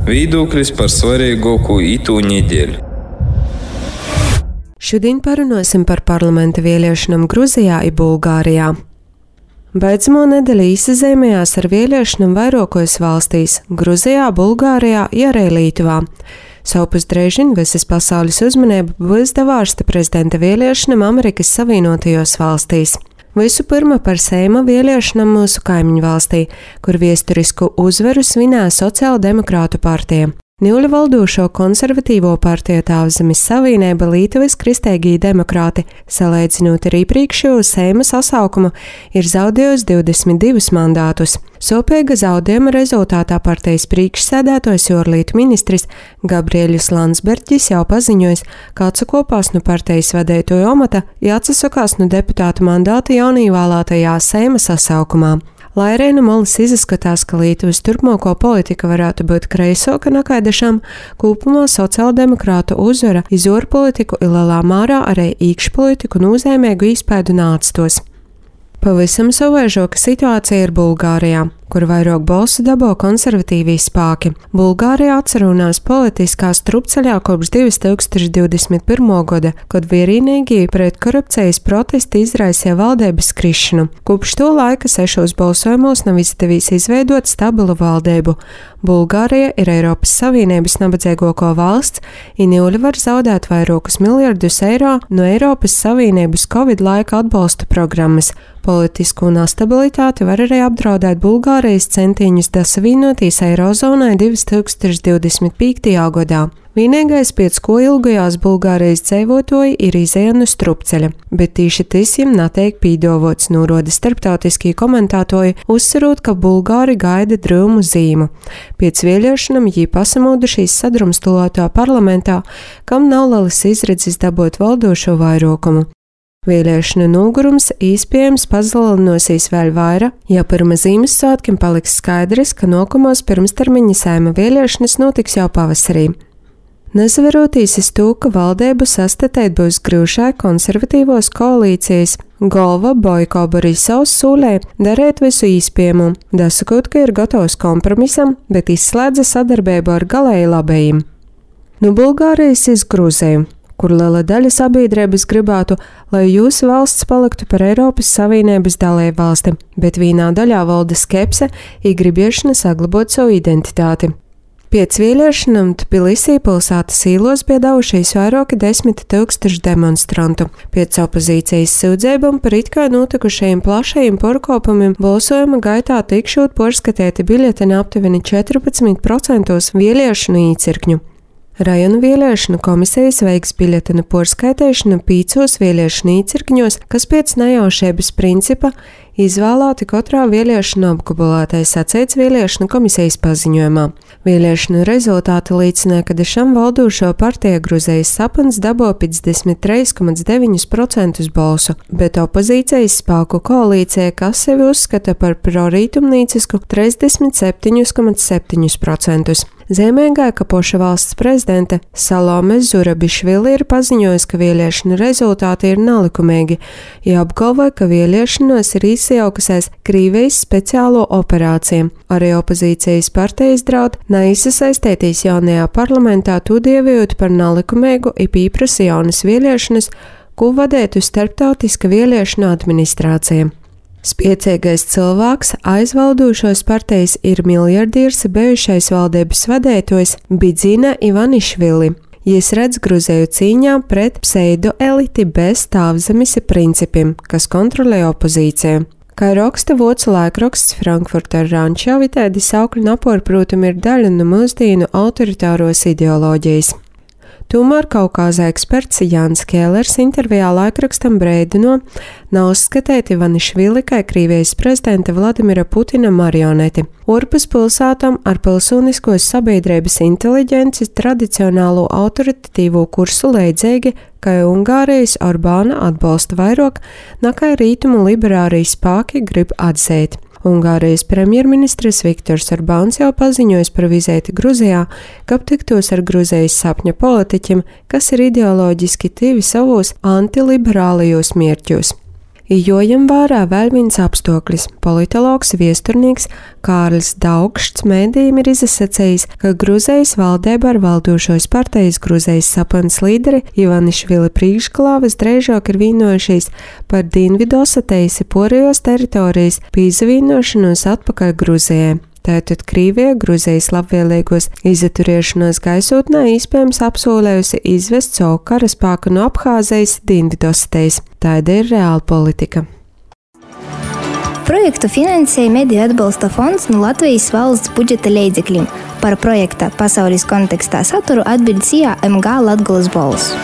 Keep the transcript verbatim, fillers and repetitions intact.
Viedoklis par svarīgāko itū nedēļu. Šodien parunāsim par parlamenta vēlēšanām Gruzijā un Bulgārijā. Beidzamo nedēļu izzīmējās ar vēlēšanām vairākos valstīs – Gruzijā, Bulgārijā un arī Lietuvā. Savpus drēžin visas pasaules uzmanība būs devārsta prezidenta vēlēšanām Amerikas Savienotajos valstīs. Visu pirma par Seima vēlēšanām mūsu kaimiņu valstī, kur vēsturisku uzvaru svinēja Sociāldemokrātu partija. Niuļa valdošo konservatīvo partiju Tauzemes Savienība Lietuvas kristēgī demokrāti, salīdzinot ar iepriekšējo Seima sasaukumu, ir zaudējusi divdesmit divus mandātus. Sopīga zaudējuma rezultātā partijas priekšsēdētājs Jorlietu ministrs Gabrieļus Landsbergis jau paziņojis, ka atsakopās no partijas vadītāja amata, ja atsakās no deputāta mandāta jaunīvēlētajā Seima sasaukumā. Lai arī no malas izskatās, ka Lietuvas turpmāko politika varētu būt kreisoka nekā dažām, kopumā sociāldemokrātu uzvara iz ārpolitiku ir lielā mērā arī iekšpolitiku nozīmīgu iespaidu nācstos. Pavisam savaižoka situācija ir Bulgārijā, kur vairāk balsu dabū konservatīvī spēki. Bulgārija atcerunās politiskā strupceļā kopš divi tūkstoši divdesmit pirmā gada, kad vienīgi pret korupcijas protesti izraisīja valdības krišanu. Kopš to laika sešos balsojumos nav izdevies izveidot stabilu valdību. Bulgārija ir Eiropas Savienības nabadzīgāko valsts, un Niuļa var zaudēt vairākus miljardus eiro no Eiropas Savienības Covid laika atbalsta programmas. Politisku nestabilitāti var arī apdraudēt Bulgārijas centiņus dasavienoties Eirozonai divi tūkstoši divdesmit piektajā gadā. Vienīgais, pēc ko ilgajās Bulgārijas dzīvotoji ir izēja no strupceļa, bet tieši tas jiem netiek pīdovots, norāda starptautiskie komentētāji, uzsverot, ka Bulgāri gaida drūmu zīmu. Pēc vēlēšanām jī pasamodušies sadrumstalotā parlamentā, kam nav lielas izredzes dabūt valdošo vairākumu. Vēlēšanu nogurums iespējams pazielinosies vēl vairāk, ja pirms Ziemassvētkiem paliks skaidrs, ka nākamās pirmstermiņa Saeima vēlēšanas notiks jau pavasarī. Nesaveroties uz to, ka valdību sastatēt būs grūšai konservatīvos koalīcijas, galva Boiko Borisovs sūlē darīt visu iespējamo, dasakot, ka ir gatavs kompromisam, bet izslēdza sadarbību ar galēji labējiem. No Bulgārijas iz Gruziju, kur liela daļa sabiedrības gribētu, lai jūsu valsts paliktu par Eiropas Savienības dalību valsti, bet vienā daļā valda skepse un gribiešana saglabāt savu identitāti. Pēc vēlēšanām Tbilisī pilsētas īlos bija devušies vairāki desmit tūkstoši demonstrantu. Pēc opozīcijas sūdzībām par it kā notikušajiem plašajiem pārkāpumiem balsojuma gaitā tikšot pārskatīti biļeteni aptuveni četrpadsmit procentos vēlēšanu īcirkņu. Rajonu vēlēšanu komisijas veiks biļetenu pārskaitēšanu pīcos vēlēšanu īcirkņos, kas pēc nejaušības principa izvēlēti katrā vēlēšanu apgabalā, sacīts vēlēšanu komisijas paziņojumā. Vēlēšanu rezultāti liecināja, ka dažam valdošo partiju Gruzijas sapnis dabū piecdesmit trīs komats deviņi procenti balsu, bet opozīcijas spēku koalīcija, kas sevi uzskata par prorītumnīcisku, trīsdesmit septiņi komats septiņi procenti. Zīmīgā, ka poša valsts prezidente Salome Zurabišvili ir paziņojusi, ka vēlēšanu rezultāti ir nelikumīgi, ja apgalvoja, ka vēlēšanos ir izjaukusies Krievijas speciālo operāciju. Arī opozīcijas partijas draud neizsaistēties jaunajā parlamentā, to dievējot par nelikumīgu un pieprasa jaunas vēlēšanas, ko vadētu starptautiska vēlēšanu administrācija. Spiecīgais cilvēks aizvaldošos partijas ir miljardieris bijušais valdības vadītājs Bidzina Ivanišvili. Jis redz Gruziju cīņā pret pseido-eliti bez Tauzemes principiem, kas kontrolē opozīciju. Kā raksta vācu laikraksts Frankfurter Rundschau, tādi saukļu napori, protams, ir daļa no mūsdienu autoritāros ideoloģijas. Tomēr Kaukāza eksperts Jānis Kēlers intervijā laikrakstam brēdino, nav uzskatīti Ivanišvili kā Krievijas prezidenta Vladimira Putina marioneti. Orpus pilsētām ar pilsoniskos sabiedrības inteliģenci tradicionālo autoritatīvo kursu leidzīgi, kā Ungārijas Orbāna atbalsta vairāk, nekā rītumu liberārijas spēki grib atzīt. Ungārijas premjerministrs Viktors Orbāns jau paziņojis par vizēti Gruzijā, ka tiktos ar Gruzijas sapņa politiķiem, kas ir ideoloģiski tīvi savos antiliberālajos mērķos. Jojam vārā vēl viens apstākļus. Politologs viesturnieks Kārlis Daugšs mēdījiem ir izsacījis, ka Gruzijas valdība ar valdošos partijas Gruzijas sapants līderi Ivanišvili priekšgalā visdrīzāk ir vienojušies par Dienvidossetijas porējos teritorijas pīzavīnošanos atpakaļ Gruzijai. Tātad Krīvija Gruzijas labvēlīgos izturēšanos gaisotnē iespējams apsolējusi izvest savu karaspēku no Abhāzijas Dienvidossetijas. Tāda ir reāla politika. Projektu finansēja Mediju atbalsta fonds no Latvijas valsts budžeta līdzekļiem. Par projekta pasaules kontekstā saturu atbild S I A M G Latgolas balss.